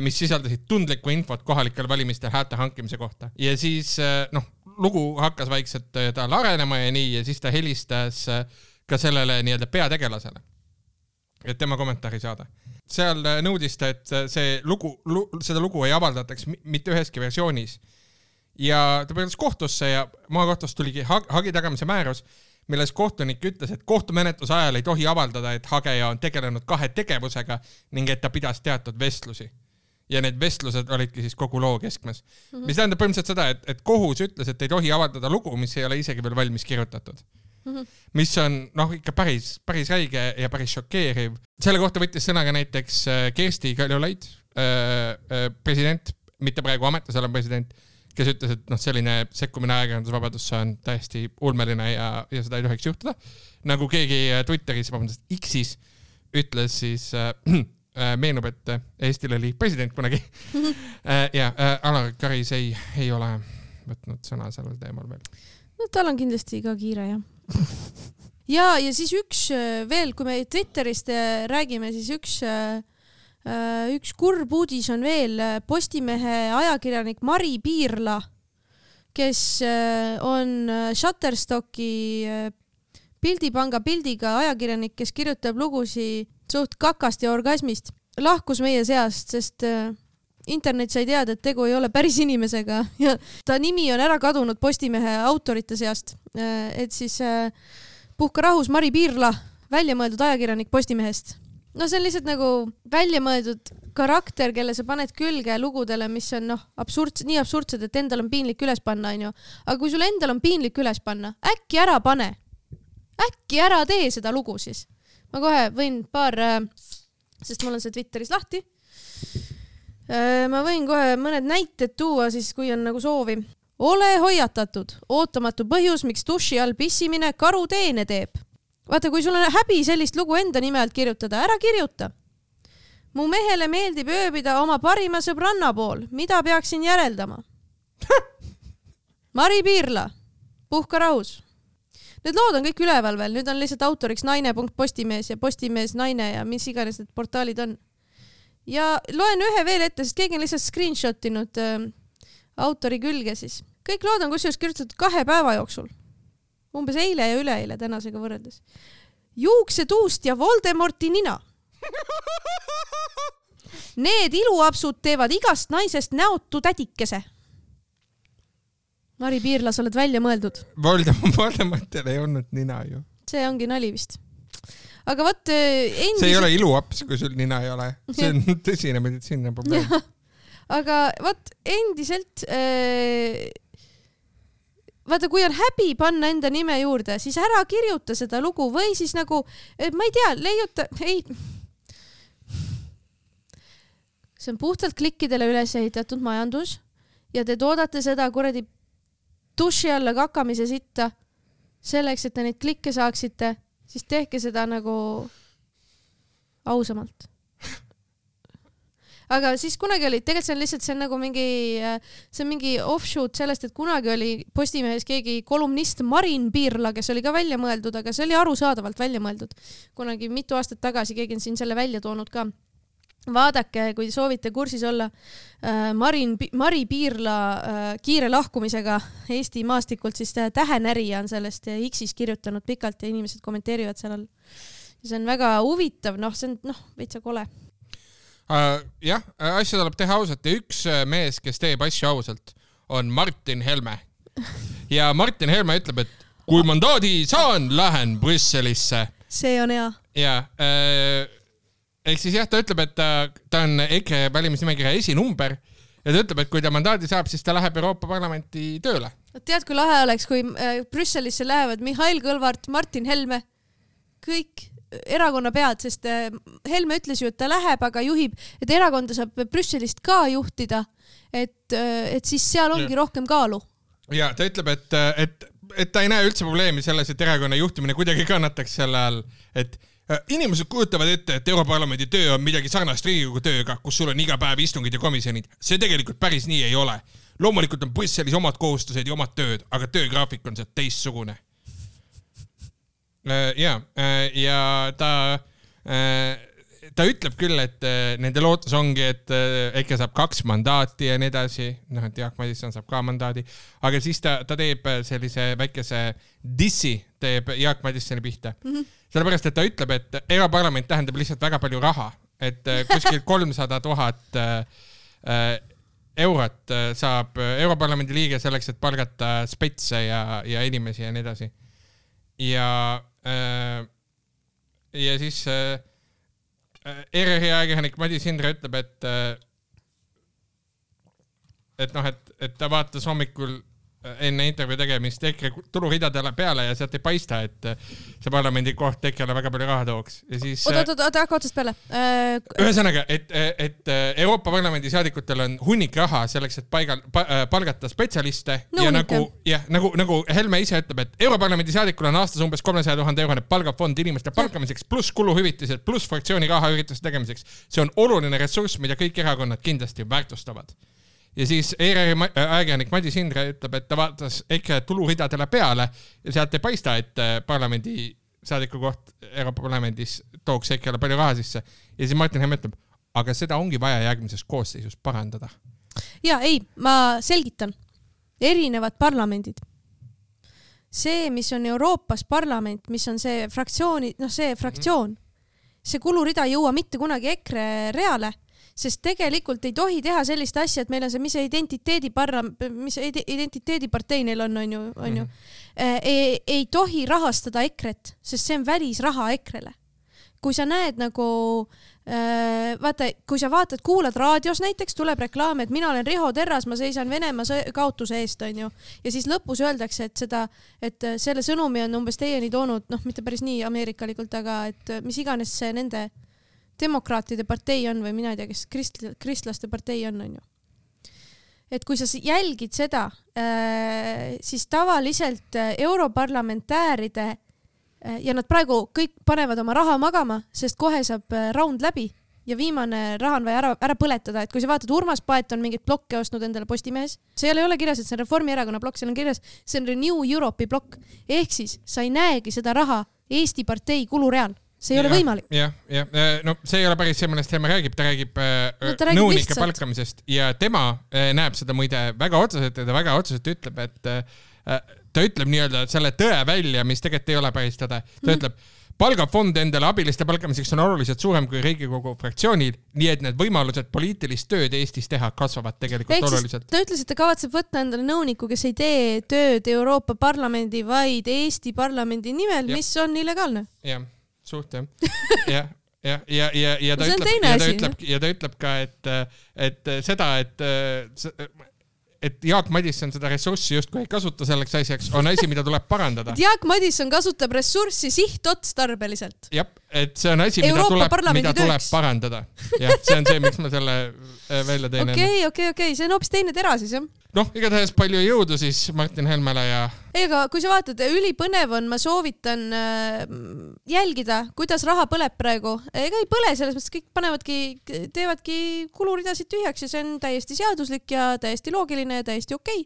mis sisaldasid tundlikku infot kohalikel valimistel häälte hankimise kohta. Ja siis lugu hakkas vaikselt tal arenema ja nii, ja siis ta helistas ka sellele nii-öelda peategelasele, et tema kommentaari saada. Seal nõudis ta, et seda lugu ei avaldataks mitte üheski versioonis. Ja ta pöördus kohtusse ja maakohtust tuligi hagi tagamise määrus, milles kohtunik ütles, et kohtumenetluse ajal ei tohi avaldada, et hageja on tegelenud 2 tegevusega ning et ta pidas teatud vestlusi. Ja need vestlused olidki siis kogu loo keskmes. Mis tähendab põhimõtteliselt seda, et kohus ütles, et ei tohi avaldada lugu, mis ei ole isegi veel valmis kirjutatud. Mis on ikka päris räige ja päris šokeeriv. Selle kohta võttis sõna ka näiteks Kersti Kaljulaid, president, mitte praegu ametis olev president, kes ütles, et selline sekkumine ajakirjandusvabadusse on täiesti ulmeline ja seda ei tohiks juhtuda. Nagu keegi Twitteris, X-is ütles siis meenub, et Eestil oli president kunagi ja Alar Karis ei ole võtnud sõna sellel teemal veel. No tal on kindlasti ka kiire, jah. ja siis üks veel, kui me Twitterist räägime, siis üks kurb uudis on veel Postimehe ajakirjanik Mari Piirla, kes on Shutterstocki Pildipanga pildiga ajakirjanik, kes kirjutab lugusi suht kakast ja orgasmist. Lahkus meie seast, sest internet sai teada, et tegu ei ole päris inimesega ja ta nimi on ära kadunud Postimehe autorite seast. Et siis puhka rahus Mari Piirla, väljamõeldud ajakirjanik Postimehest. No see on lihtsalt nagu väljamõeldud karakter, kelle sa paned külge lugudele, mis on nii absurdsed, et endal on piinlik üles panna, on ju. Aga kui sul endal on piinlik üles panna, äkki ära pane. Äkki ära tee seda lugu siis. Ma kohe võin sest mul on see Twitteris lahti. Ma võin kohe mõned näited tuua siis, kui on nagu soovi. Ole hoiatatud. Ootamatu põhjus, miks duši all pissimine karuteene teeb. Vaata, kui sul on häbi sellist lugu enda nime alt kirjutada, ära kirjuta. Mu mehele meeldib ööbida oma parima sõbranna pool. Mida peaksin järeldama? Mari Piirla. Puhka rahus. Need lood on kõik üleval veel. Nüüd on lihtsalt autoriks naine.postimees ja Postimees naine ja mis iganes need portaalid on. Ja loen ühe veel ette, sest keegi on lihtsalt screenshotinud autori külge siis. Kõik lood on kusjuures kirjutatud 2 päeva jooksul. Umbes eile ja üleeile tänasega võrreldes. Juuksetuust ja Voldemorti nina. Need iluapsud teevad igast naisest näotu tädikese. Mari Piirla, sa oled välja mõeldud. Voldemortil ei olnud nina ju. See ongi nali vist. Aga võt endiselt... See ei ole iluaps, kui sul nina ei ole. See on tõsine meditsiinne probleem. Aga võt endiselt... Vaata, kui on häbi panna enda nime juurde, siis ära kirjuta seda lugu või siis nagu, ma ei tea, leiuta... Ei. See on puhtalt klikkidele üles ehitatud majandus ja te toodate seda kuradi duši alla kakamise sitta selleks, et te neid klikke saaksite, siis tehke seda nagu ausamalt. Aga siis kunagi oli, tegelikult see on lihtsalt, see on mingi offshoot sellest, et kunagi oli Postimehes keegi kolumnist Marin Piirla, kes oli ka välja mõeldud, aga see oli arusaadavalt välja mõeldud. Kunagi mitu aastat tagasi keegi on siin selle välja toonud ka. Vaadake, kui soovite kursis olla Mari Piirla kiire lahkumisega Eesti maastikult, siis Tähenärija on sellest X-is kirjutanud pikalt ja inimesed kommenteerivad seal all. Ja see on väga huvitav, see on veitsa kole. Jah, asja tuleb teha ausalt ja üks mees, kes teeb asju ausalt, on Martin Helme. Ja Martin Helme ütleb, et kui mandaadi saan, lähen Brüsselisse. See on hea. Ja, ehk siis jah, ta ütleb, et ta on EKRE valimisnimekirja esinumber ja ta ütleb, et kui ta mandaadi saab, siis ta läheb Euroopa Parlamenti tööle. Tead, kui lahe oleks, kui Brüsselisse lähevad Mihhail Kõlvart, Martin Helme, kõik erakonna pead, sest Helme ütles ju, et ta läheb, aga juhib, et erakonda saab Brüsselist ka juhtida, et siis seal ongi rohkem kaalu. Ja ta ütleb, et ta ei näe üldse probleemi selles, et erakonna juhtimine kuidagi kannataks selle all, et inimesed kujutavad ette, et Europarlamendi töö on midagi sarnast Riigikogu tööga, kus sul on iga päev istungid ja komisjonid. See tegelikult päris nii ei ole. Loomulikult on Brüsselis omad kohustused ja omad tööd, aga töögraafik on see teistsugune. Ja ta ütleb küll, et nende lootus ongi, et EKRE saab 2 mandaati ja nii edasi, et Jaak Madison saab ka mandaadi, aga siis ta teeb sellise väikese dissi, teeb Jaak Madissoni pihta. Sellepärast, et ta ütleb, et Europarlament tähendab lihtsalt väga palju raha, et kuskil 300 000 eurot saab Europarlamendi liige selleks, et palgata spetse ja inimesi ja nii edasi. Ja siis ERR-i ajakirjanik Madis Hindre ütleb, et ta vaatas hommikul enne intervjuu tegemist EKRE tuluridadele peale ja sealt ei paista, et see parlamendi koht EKRE-le väga palju raha tooks. Ja siis... Oota, otsast peale. Ühesõnaga, et Euroopa Parlamendi saadikutel on hunnik raha selleks, et palgata spetsialiste ja nagu Helme ise ütleb, et Europarlamendi saadikul on aastas umbes 300 000 eurone palgafond inimeste palkamiseks pluss kuluhüvitised pluss fraktsiooni raha ürituste tegemiseks. See on oluline ressurss, mida kõik erakonnad kindlasti väärtustavad. Ja siis ERR ajakirjanik Madis Hindre ütleb, et ta vaatas EKRE tuluridadele peale ja sealt ei paista, et parlamendi saadiku koht Euroopa Parlamendis tooks EKRE-le palju raha sisse. Ja siis Martin Helme ütleb, aga seda ongi vaja järgmises koosseisus parandada. Ja ei, ma selgitan. Erinevad parlamendid. See, mis on Euroopas parlament, mis on see fraktsiooni, see fraktsioon, see kulurida ei jõua mitte kunagi EKRE reale, sest tegelikult ei tohi teha sellist asja, et meil on see, mis identiteedipartei neil on ju. Ei tohi rahastada EKRE-t, sest see on välisraha EKRE-le. Kui sa näed nagu, kui sa vaatad, kuulad raadios näiteks, tuleb reklaam, et mina olen Riho Terras, ma seisan Venemaa kaotuse eest, on ju. Ja siis lõpus öeldakse, et selle sõnumi on umbes teieni toonud, mitte päris nii ameerikalikult, aga et mis iganes see nende demokraatide partei on või mina ei tea, kes kristlaste partei on ju. Et kui sa jälgid seda, siis tavaliselt europarlamentääride ja nad praegu kõik panevad oma raha magama, sest kohe saab raund läbi ja viimane raha on vaja ära põletada. Et kui sa vaatad, Urmas Paet on mingit blokke ostnud endale Postimehes, see ei ole kirjas, et see on Reformierakonna blokk, seal on kirjas, see on Renew Europe'i blokk. Ehk siis sa ei näegi seda raha Eesti partei kulureal. See ei ole võimalik. No see ei ole päris see, millest Helme räägib. Ta räägib nõunike palkamisest ja tema näeb seda muide väga otseselt ja ta väga otseselt ütleb, et ta ütleb nii-öelda selle tõe välja, mis tegelikult ei ole päris tõde. Ta ütleb, palgafond endale abiliste palkamiseks on oluliselt suurem kui Riigikogu fraktsioonil, nii et need võimalused poliitilist tööd Eestis teha kasvavad tegelikult oluliselt. Ta ütles, et ta kavatseb võtta endale nõuniku, kes ei tee tööd Euroopa Parlamendi, vaid Eesti parlamendi nimel, mis on illegaalne. Jah. Suht, jah. Ja ta ütleb ka, et seda, et Jaak Madisson seda ressurssi justkui ei kasuta selleks asjaks, on asi, mida tuleb parandada. Jaak Madisson kasutab ressurssi sihtotstarbeliselt. Jah, et see on asi, mida tuleb parandada. Jah, see on see, miks ma selle välja teine. Okei, see on hoopis teine tera siis, jah? Igatahes palju jõudu siis Martin Helmele ja... Ega kui sa vaatad, ülipõnev on, ma soovitan jälgida, kuidas raha põleb praegu. Ega ei põle, selles mõttes kõik teevadki kuluridasid tühjaks ja see on täiesti seaduslik ja täiesti loogiline ja täiesti okei.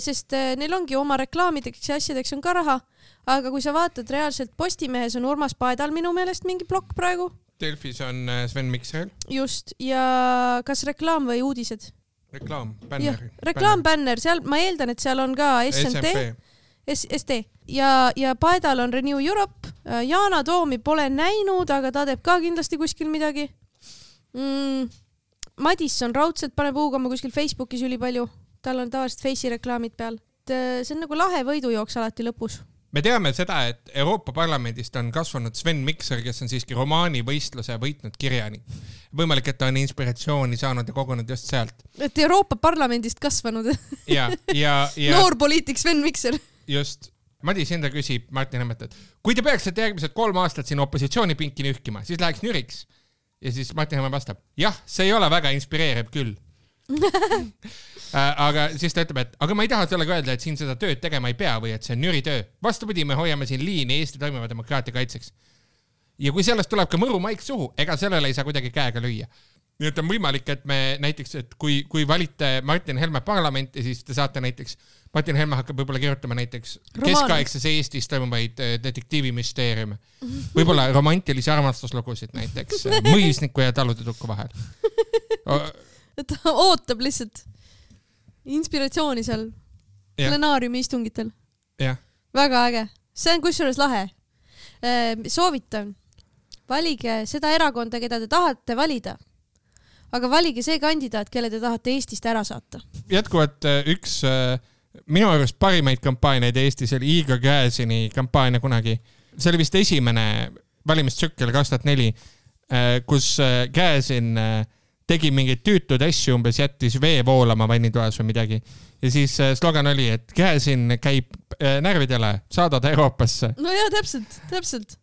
Sest neil ongi oma reklaamideks ja asjadeks on ka raha. Aga kui sa vaatad reaalselt Postimehes on Urmas Paedal minu meelest mingi blokk praegu. Delfis on Sven Mikser. Just, ja kas reklaam või uudised? Reklaambänner, seal ma eeldan, et seal on ka ST ja Paedal on Renew Europe. Yana Toomi pole näinud, aga ta teeb ka kindlasti kuskil midagi. Madisson raudselt paneb huugama kuskil Facebookis üli palju. Tal on tavaliselt Face'i reklaamid peal. See on nagu lahe võidujooks alati lõpus. Me teame seda, et Euroopa Parlamendist on kasvanud Sven Mikser, kes on siiski romaanivõistluse võitnud kirjani. Võimalik, et ta on inspiratsiooni saanud ja kogunud just sealt. Et Euroopa Parlamendist kasvanud. Ja noor poliitik Sven Mikser. Just. Madis Hindre küsib Martin Helmet, et kui te peaksite järgmised 3 aastat siin opositsioonipinki nühkima, siis läheks nüriks. Ja siis Martin Helme vastab, jah, see ei ole väga inspireeriv küll. Aga siis ta ütleb, et aga ma ei taha sellega öelda, et siin seda tööd tegema ei pea või et see on nüritöö. Vastupidi, me hoiame siin liini Eesti toimiva demokraatia kaitseks. Ja kui sellest tuleb ka mõru maik suhu, ega sellele ei saa kuidagi käega lüüa. Nii et on võimalik, et me näiteks, et kui valite Martin Helme parlamenti, siis te saate näiteks, Martin Helme hakkab võib-olla kirjutama näiteks keskaegses Eestis toimuvaid detektiivimüsteeriume. Võib-olla romantilisi armastuslugusid näiteks mõisniku ja taludetukku vahel. Ta ootab lihtsalt inspiratsiooni seal plenaariumi istungitel. Väga äge. See on kusjuures lahe. Soovitan. Valige seda erakonda, keda te tahate valida. Aga valige see kandidaat, kelle te tahate Eestist ära saata. Jätkuvalt üks minu arust parimaid kampaaniaid Eestis oli Igor Gräzini kampaania kunagi. See oli vist esimene valimistsükkel 2004, kus Gräzin tegi mingeid tüütud asju, umbes jättis vee voolama vannitoas või midagi. Ja siis slogan oli, et Gräzin käib närvidele, saada ta Euroopasse. No jaa, täpselt.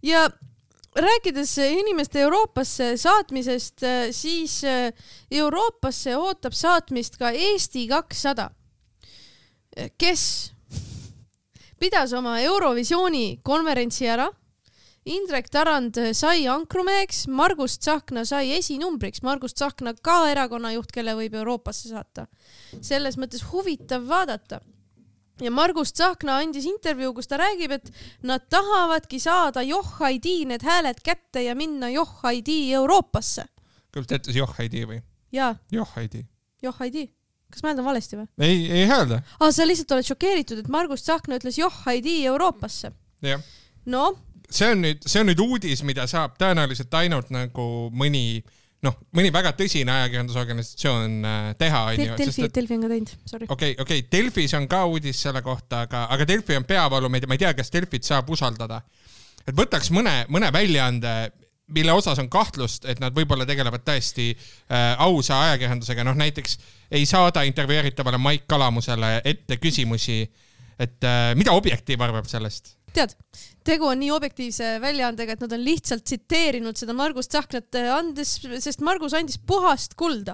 Ja rääkides inimeste Euroopasse saatmisest, siis Euroopasse ootab saatmist ka Eesti 200, kes pidas oma Eurovisiooni konverentsi ära. Indrek Tarand sai ankrumeheks, Margus Tsahkna sai esinumbriks. Margus Tsahkna ka erakonnajuht, kelle võib Euroopasse saata. Selles mõttes huvitav vaadata. Ja Margus Tsahkna andis intervjuu, kus ta räägib, et nad tahavadki saada Joh-ID need hääled kätte ja minna Joh-ID Euroopasse. Kas ta ütles Joh-ID või? Jaa. Joh-ID. Kas ma hääldan valesti või? Ei häälda. Sa lihtsalt oled šokeeritud, et Margus Tsahkna ütles Joh-ID Euroopasse. Jah. No? See on nüüd uudis, mida saab tõenäoliselt ainult nagu mõni väga tõsine ajakirjandusorganisatsioon teha. Delfi on ka teinud, sorry. Okei, Delfis on ka uudis selle kohta, aga Delfi on peavalu, ma ei tea, kas Delfit saab usaldada. Et võtaks mõne väljaande, mille osas on kahtlust, et nad võib-olla tegelevad tõesti ausa ajakirjandusega. Näiteks ei saada intervjueeritavale Maik Kalamusele ette küsimusi, et mida Objektiiv arvab sellest? Tead, tegu on nii objektiivse väljaandega, et nad on lihtsalt tsiteerinud seda Margus Tsahknat andes, sest Margus andis puhast kulda.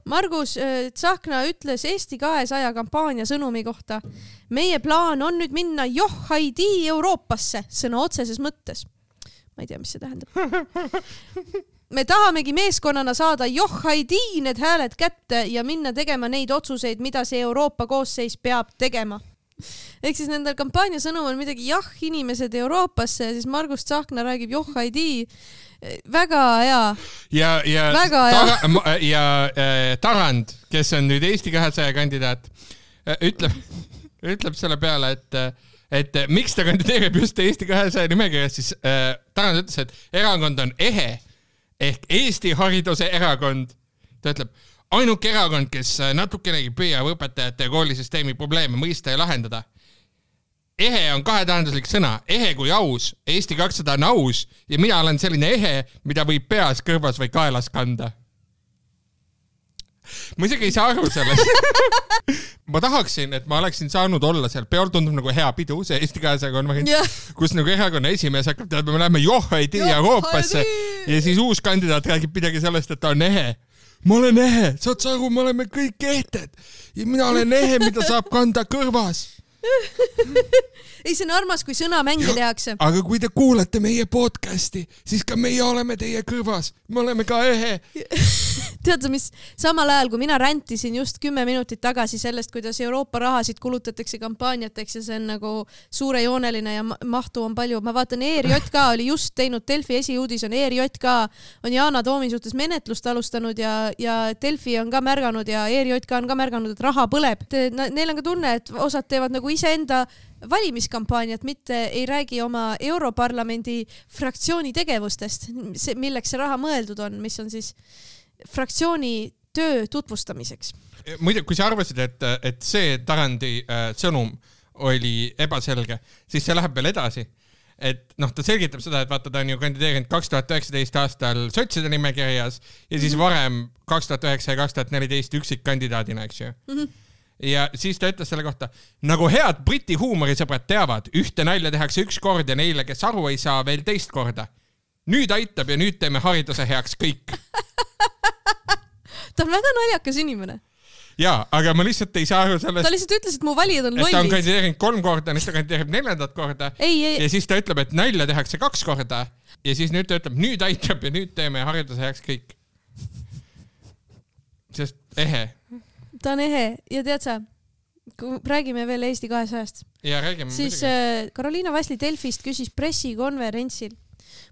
Margus Tsahkna ütles Eesti 200 kampaania sõnumi kohta. Meie plaan on nüüd minna Joh-ID Euroopasse, sõna otseses mõttes. Ma ei tea, mis see tähendab. Me tahamegi meeskonnana saada Joh-ID need hääled kätte ja minna tegema neid otsuseid, mida see Euroopa koosseis peab tegema. Ehk siis nendel kampaania sõnum on midagi inimesed Euroopasse ja siis Margus Tsahkna räägib Joh-ID. Väga hea. Ja Tarand, kes on nüüd Eesti 200 kandidaat, ütleb selle peale, et miks ta kandideerib just Eesti 200 nimekirjas, siis Tarand ütles, et erakond on EHE ehk Eesti hariduse erakond. Ta ütleb, ainuke erakond, kes natukenegi püüab õpetajate ja koolisüsteemi probleeme mõista ja lahendada. EHE on kahetähenduslik sõna. EHE kui aus. Eesti 200 on aus ja mina olen selline EHE, mida võib peas, kõrvas või kaelas kanda. Ma isegi ei saa aru sellest. Ma tahaksin, et ma oleksin saanud olla seal. Peol tundub nagu hea pidu, see Eesti 200 konverents, kus nagu erakonna esimees hakkab teadma, me läheme Joh-ID Euroopasse ja siis uus kandidaat räägib midagi sellest, et ta on EHE. Ma olen EHE, saad sa aru, me oleme kõik ehted ja mina olen EHE, mida saab kanda kõrvas. Ei, see on armas, kui sõna mänge tehakse. Aga kui te kuulete meie podcasti, siis ka meie oleme teie kõrvas. Me oleme ka EHE. Tead sa, mis samal ajal, kui mina räntisin just 10 minutit tagasi sellest, kuidas Euroopa rahasid kulutatakse kampaaniateks ja see on nagu suurejooneline ja mahtu on palju. Ma vaatan, ERJK oli just teinud, Delfi esiuudis on ERJK, on Yana Toomi suhtes menetlust alustanud ja Delfi on ka märganud ja ERJK on ka märganud, et raha põleb. Neil on ka tunne, et osad teevad nagu iseenda valimiskampaaniat, mitte ei räägi oma Europarlamendi fraktsiooni tegevustest, milleks see raha mõeldud on, mis on siis fraktsiooni töö tutvustamiseks. Muide, kui sa arvasid, et see Tarandi sõnum oli ebaselge, siis see läheb veel edasi. Et ta selgitab seda, et vaata, ta on ju kandideerinud 2019 aastal sotside nimekirjas ja siis varem 2009 ja 2014 üksikkandidaadina, eks ju. Ja siis ta ütles selle kohta, nagu head Briti huumorisõbrad teavad, ühte nalja tehakse üks kord ja neile, kes aru ei saa, veel teist korda. Nüüd aitab ja nüüd teeme hariduse heaks kõik. Ta on väga naljakas inimene. Jaa, aga ma lihtsalt ei saa aru sellest. Ta lihtsalt ütles, et mu valijad on lollid. Ta on kandideerinud 3 korda, nüüd ta kandideerib 4. korda. Ja siis ta ütleb, et nalja tehakse 2 korda. Ja siis nüüd ta ütleb, nüüd aitab ja nüüd teeme hariduse heaks kõik. Sest EHE. Ta on EHE ja tead sa, kui räägime veel Eesti 200-st. Ja räägime. Siis Karoliina Vasli Delfist küsis pressikonverentsil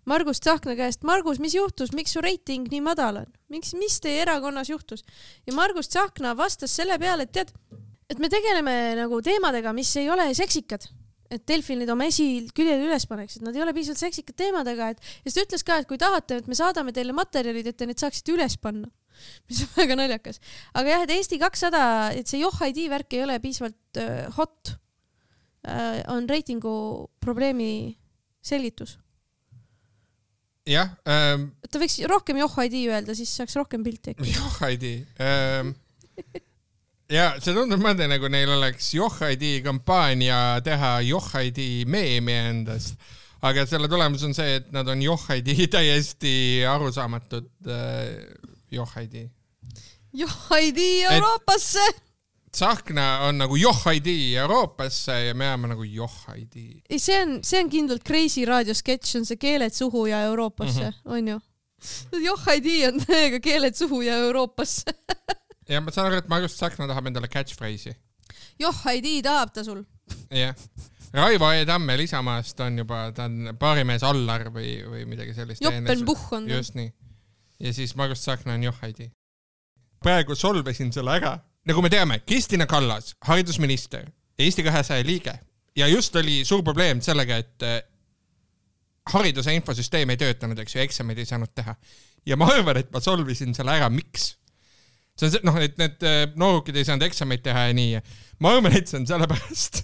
Margus Tsahkna käest, Margus, mis juhtus, miks su reiting nii madal on? Mis teie erakonnas juhtus? Ja Margus Tsahkna vastas selle peale, et tead, et me tegeleme nagu teemadega, mis ei ole seksikad. Et Delfil neid oma esiküljel üles paneks, et nad ei ole piisavalt seksikad teemadega. Ja siis ta ütles ka, et kui tahate, et me saadame teile materjalid, et te need saaksite üles panna. Mis on väga naljakas. Aga jah, et Eesti 200, et see Joh-ID värk ei ole piisavalt hot, on reitingu probleemi selgitus. jah. Ta võiks rohkem Johhaidi öelda, siis saaks rohkem pilti. Johhaidi. Ja see tundub mõnda nagu neil oleks Johhaidi kampaania teha Johhaidi meemi endast. Aga selle tulemus on see, et nad on Johhaidi täiesti arusaamatud Johhaidi. Johhaidi Euroopasse! Tsahkna on nagu Johhaidi Euroopasse ja me jääme nagu Johhaidi. See on kindlalt Crazy Radio sketš, on see keeled suhu ja Euroopasse, on ju? Johhaidi on täiega keeled suhu ja Euroopasse. Ja ma saan aru, et Margus Tsahkna tahab endale catchphrase'i. Johhaidi tahab ta sul. Jah. Raivo E. Tammel Isamaast on juba, ta on baarimees Allar või midagi sellist. Joppenbuch on. Just nii. Ja siis Margus Tsahkna on Johhaidi. Praegu solvesin selle ära. Nagu me teame, Kristina Kallas, haridusminister, Eesti 200 liige ja just oli suur probleem sellega, et hariduse infosüsteem ei töötanud, eks ju, eksameid ei saanud teha. Ja ma arvan, et ma solvisin selle ära, miks? See on see, et need noorukid ei saanud eksameid teha ja nii. Ma arvan, et see on sellepärast,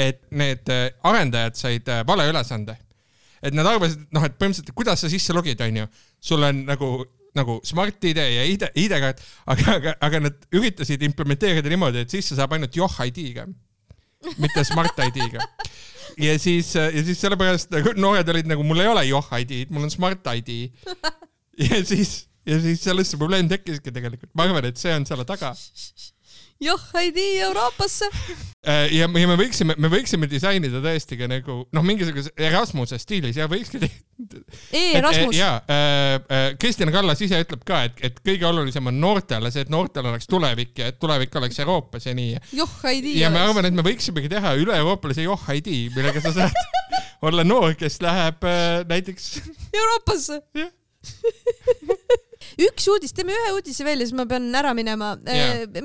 et need arendajad said vale ülesande. Et nad arvasid, et põhimõtteliselt, kuidas sa sisse logid, on ju? Sul on nagu Smart ID ja ID-kaart, aga nad üritasid implementeerida niimoodi, et sisse saab ainult Johhaidi-ga, mitte Smart ID-ga. Ja siis sellepärast noored olid nagu, mul ei ole Johhaidi, mul on Smart ID. Ja siis sellest see probleem tekkiski tegelikult. Ma arvan, et see on selle taga. Johhaidi Euroopasse. Ja me võiksime disainida tõesti ka nagu, mingisuguse Erasmuse stiilis ja võikski Erasmus. Kristina Kallas ise ütleb ka, et kõige olulisem on noortele see, et noortel oleks tulevik ja et tulevik oleks Euroopas ja nii. Johhaidi. Ja me arvan, et me võiksimegi teha üle euroopalise Johhaidi, millega sa saad olla noor, kes läheb näiteks Euroopasse. Jah. Üks uudis, teeme ühe uudise veel ja siis ma pean ära minema.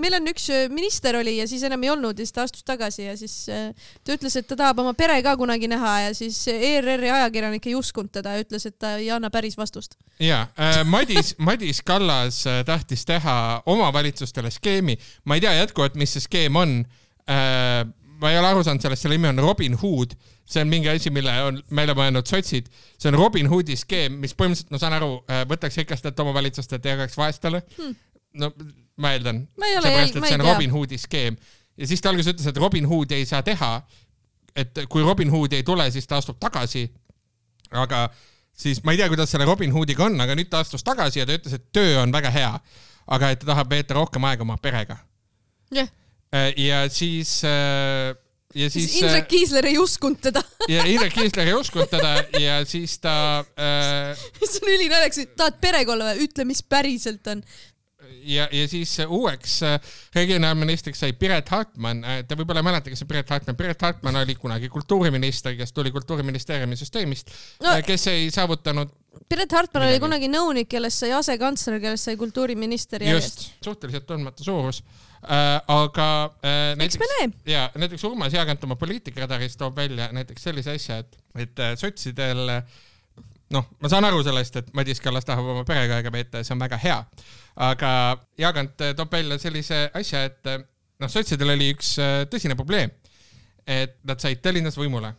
Meil on üks minister oli ja siis enam ei olnud ja siis ta astus tagasi ja siis ta ütles, et ta tahab oma pere ka kunagi näha ja siis ERR-i ajakirjanik ei uskunud teda ja ütles, et ta ei anna päris vastust. Ja, Madis Kallas tahtis teha omavalitsustele skeemi. Ma ei tea jätkuvalt, mis see skeem on. Ma ei ole aru saanud sellest, selle nimi on Robin Hood. See on mingi asi, mille on meile mõelnud sotsid. See on Robin Hoodi skeem, mis põhimõtteliselt, saan aru, võtaks rikastelt omavalitsustelt ja jagaks vaestele. No, ma eeldan. Seepärast, et see on Robin Hoodi skeem. Ja siis ta alguses ütles, et Robin Hood ei saa teha. Et kui Robin Hood ei tule, siis ta astub tagasi. Aga siis ma ei tea, kuidas selle Robin Hoodiga on, aga nüüd ta astus tagasi ja ta ütles, et töö on väga hea. Aga et ta tahab veeta rohkem aega oma perega. Jah. Ja siis Indrek Kiisler ei uskunud teda. Ja Indrek Kiisler ei uskunud teda ja siis ta... See on ülinäljaks, tahad perega olla või? Ütle, mis päriselt on. Ja siis uueks regionaalministriks sai Piret Hartman. Te võib-olla mäletage see Piret Hartman. Piret Hartman oli kunagi kultuuriminister, kes tuli kultuuriministeeriumi süsteemist, kes ei saavutanud... Piret Hartman oli kunagi nõunik, kellest sai asekantsler, kellest sai kultuuriminister järjest. Just, suhteliselt tundmata suurus. Aga näiteks Urmas Jaagant oma poliitikaradariist toob välja näiteks sellise asja, et sotsidel, ma saan aru sellest, et Madis Kallas tahab oma perega aega veeta ja see on väga hea, aga Jaagant toob välja sellise asja, et sotsidel oli üks tõsine probleem, et nad said Tallinnas võimule.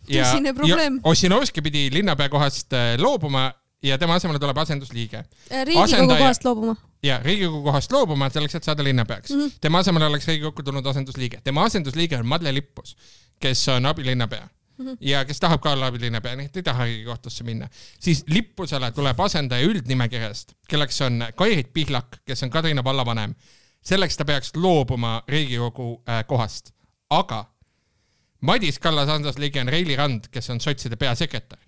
Tõsine probleem. Ossinovski pidi linnapea kohast loobuma ja tema asemele tuleb asendusliige. Riigikogu kohast loobuma. Ja, Riigikogu kohast loobuma selleks, et saada linnapeaks. Tema asemele oleks Riigikokku tulnud asendusliige. Tema asendusliige on Madle Lippus, kes on abilinnapea ja kes tahab ka olla abilinnapea, nii et ei taha Riigikohtusse minna. Siis Lippusele tuleb asendaja üldnimekirjast, kelleks on Kairit Pihlak, kes on Kadrina vallavanem. Selleks ta peaks loobuma Riigikogu kohast. Aga Madis Kallas asendusliige on Reili Rand, kes on sotside peasekretär.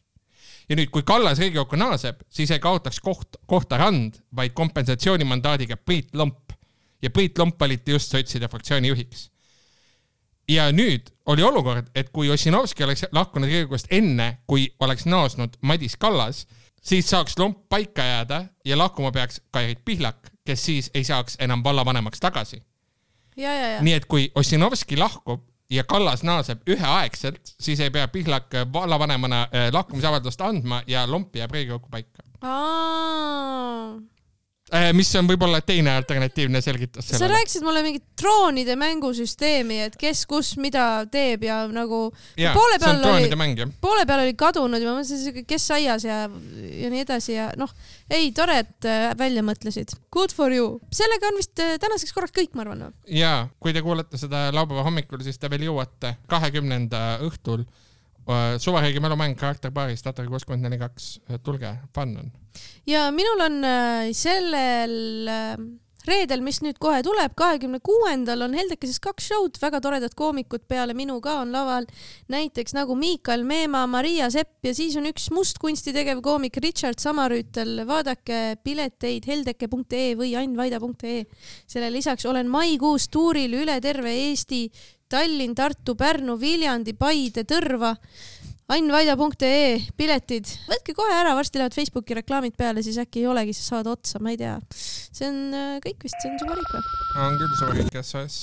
Ja nüüd, kui Kallas Riigikokku naaseb, siis ei kaotaks kohta Rand, vaid kompensatsioonimandaadiga Priit Lomp. Ja Priit Lomp valiti just sotside fraktsiooni juhiks. Ja nüüd oli olukord, et kui Ossinovski oleks lahkunud Riigikogust enne, kui oleks naasnud Madis Kallas, siis saaks Lomp paika jääda ja lahkuma peaks Kairit Pihlak, kes siis ei saaks enam vallavanemaks tagasi. Ja. Nii et kui Ossinovski lahkub, ja Kallas naaseb üheaegselt, siis ei pea Pihlak vallavanemana lahkumisavaldust andma ja Lomp jääb Riigikokku paika. mis on võib-olla teine alternatiivne selgitus sellele. Sa rääkisid mulle mingit troonide mängusüsteemi, et kes kus mida teeb ja nagu poole peal oli kadunud ja ma mõtlesin, kes aias ja nii edasi ja ei, tore, et välja mõtlesid. Good for you. Sellega on vist tänaseks korraks kõik, ma arvan. Jaa, kui te kuulete seda laupäeva hommikul, siis te veel jõuate 20. õhtul Suvariigi mälumäng karakterpaaris Tatari 64.2. Tulge, fun on. Ja minul on sellel reedel, mis nüüd kohe tuleb, 26. on Heldekeses 2 showd, väga toredad koomikud peale minu ka on laval, näiteks nagu Miikael Meema, Maria Sepp ja siis on üks mustkunsti tegev koomik Richard Samarüütel. Vaadake pileteid heldeke.ee või ainvaida.ee. Selle lisaks olen maikuus tuuril üle terve Eesti, Tallinn, Tartu, Pärnu, Viljandi, Paide, Tõrva. Ainvaida.ee piletid. Võtke kohe ära, varsti lähevad Facebooki reklaamid peale, siis äkki ei olegi, siis saad otsa, ma ei tea. See on kõik vist, see on su valik või? On küll su valik, SOS.